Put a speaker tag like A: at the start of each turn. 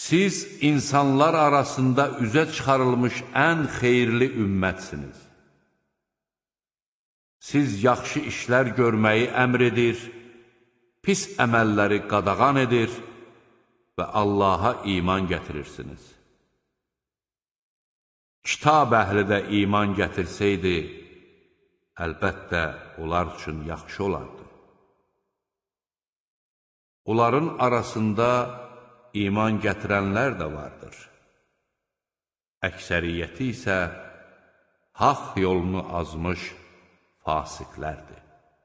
A: Siz insanlar arasında üzə çıxarılmış ən xeyirli ümmətsiniz. Siz yaxşı işlər görməyi əmr edir, pis əməlləri qadağan edir və Allaha iman gətirirsiniz. Kitab əhli də iman gətirsəydi, əlbəttə onlar üçün yaxşı olardı. Onların arasında iman gətirənlər də vardır. Əksəriyyəti isə haqq yolunu azmış fasiqlərdir.